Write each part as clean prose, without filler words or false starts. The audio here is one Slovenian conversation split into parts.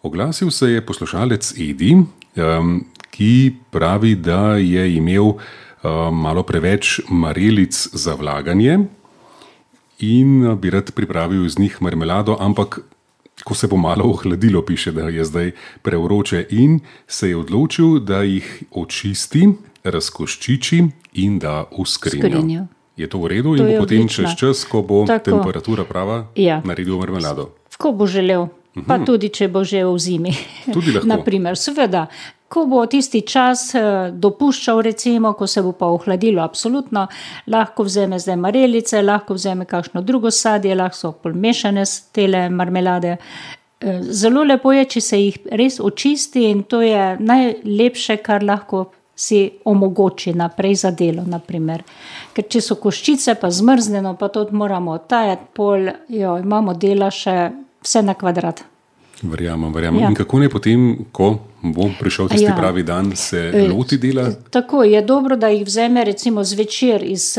Oglasil se je poslušalec Edi, ki pravi, da je imel malo preveč marelic za vlaganje in bi rad pripravil iz njih marmelado, ampak ko se bo malo ohladilo, piše, da je zdaj prevroče in se je odločil, da jih očisti, razkoščiči in da v skrinjo. Je to v redu in bo potem čez čas, ko bo temperatura prava, naredil marmelado? Ko bo želel, pa tudi če bo že v zimi. Tudi lahko. Naprimer, seveda, ko bo tisti čas dopuščal, recimo, ko se bo pa ohladilo, absolutno, lahko vzeme zdaj marelice, lahko vzeme kakšno drugo sadje, lahko so pomešane tele marmelade. Zelo lepo je, če se jih res očisti in to je najlepše, kar lahko si omogoči naprej za delo, naprimer. Ker če so koščice pa zmrznjeno, pa to moramo tajati pol, imamo dela še vse na kvadrat. Verjamem. Ja. In kako ne potem, ko bo prišel tisti pravi dan, se loti dela? Tako, je dobro, da jih vzeme recimo zvečer iz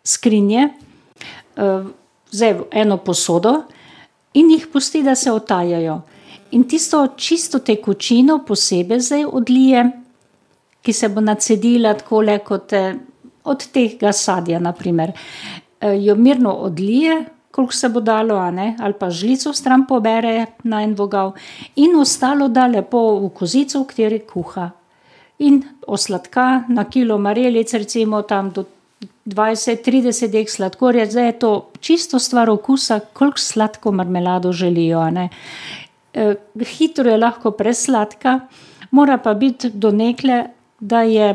skrinje, vzaj eno posodo in jih pusti, da se otajajo. In tisto čisto tekočino posebej zdaj odlije, ki se bo nacedila takole kot od tega sadja, naprimer. Jo mirno odlije, koliko se bo dalo, ali pa žlico stran pobere na en vogal in ostalo da lepo v kozico, v kateri kuha. In osladka na kilo marelic, recimo tam do 20-30 dek sladkorja, zdaj je to čisto stvar okusa, koliko sladko marmelado želijo. Hitro je lahko presladka, mora pa biti do nekle, da je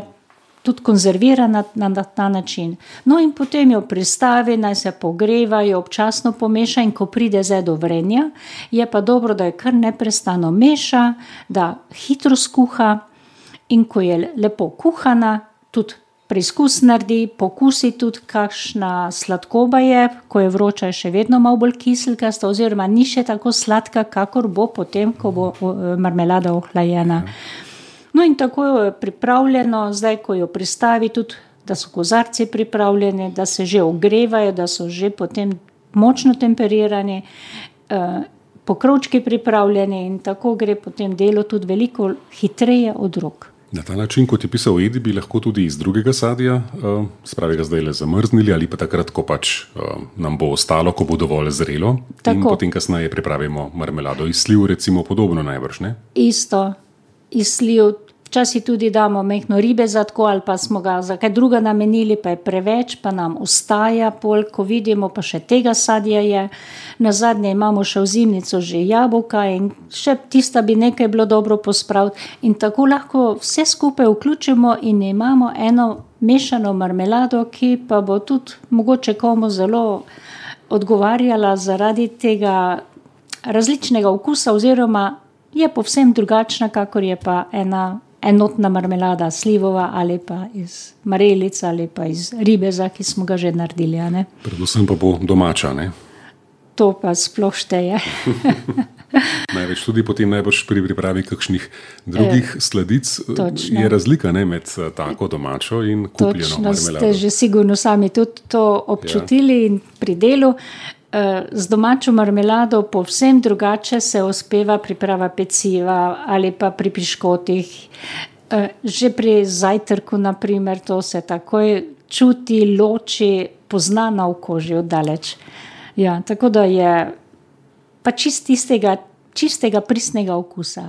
tudi konzervirana na ta način. No in potem jo pristavi, naj se pogreva, jo občasno pomeša in ko pride zdaj do vrenja, je pa dobro, da je kar neprestano meša, da hitro skuha in ko je lepo kuhana, tudi preizkus naredi, pokusi tudi, kakšna sladkoba je, ko je vroča, je še vedno malo bolj kiselkasta oziroma ni še tako sladka, kakor bo potem, ko bo marmelada ohlajena. No in tako je pripravljeno, zdaj ko jo pristavi tudi, da so kozarci pripravljeni, da se že ogrevajo, da so že potem močno temperirani, pokrovčki pripravljeni in tako gre potem delo tudi veliko hitreje od rok. Na ta način, kot je pisal Edi, bi lahko tudi iz drugega sadja, spravi ga zdaj le zamrznili ali pa takrat, ko nam bo ostalo, ko bo dovolj zrelo in potem kasneje pripravimo marmelado iz sliv, recimo podobno najbrž, ne? Isto. Iz sliv, včasih tudi damo mehko ribezatko ali pa smo ga za kaj druga namenili, pa je preveč, pa nam ostaja pol, ko vidimo, pa še tega sadja je. Nazadnje imamo še v zimnico že jabolka in še tista bi nekaj bilo dobro pospraviti in tako lahko vse skupaj vključimo in imamo eno mešano marmelado, ki pa bo tudi mogoče komu zelo odgovarjala zaradi tega različnega okusa oziroma je povsem drugačna, kakor je pa ena enotna marmelada slivova ali pa iz marelic ali pa iz ribeza, ki smo ga že naredili. Predvsem pa bo domača, ne? To pa sploh šteje. Največ tudi potem najbrž pri pripravi kakšnih drugih sladic je razlika, ne, med tako domačo in kupljeno marmelado. Točno, ste že sigurno sami tudi to občutili in pri delu. Z domačo marmelado povsem drugače se uspeva priprava peciva ali pa pri piškotih. Že pri zajtrku, naprimer, to se takoj čuti, loči, pozna na oko že oddaleč. Ja, tako da je pa čistega pristnega okusa.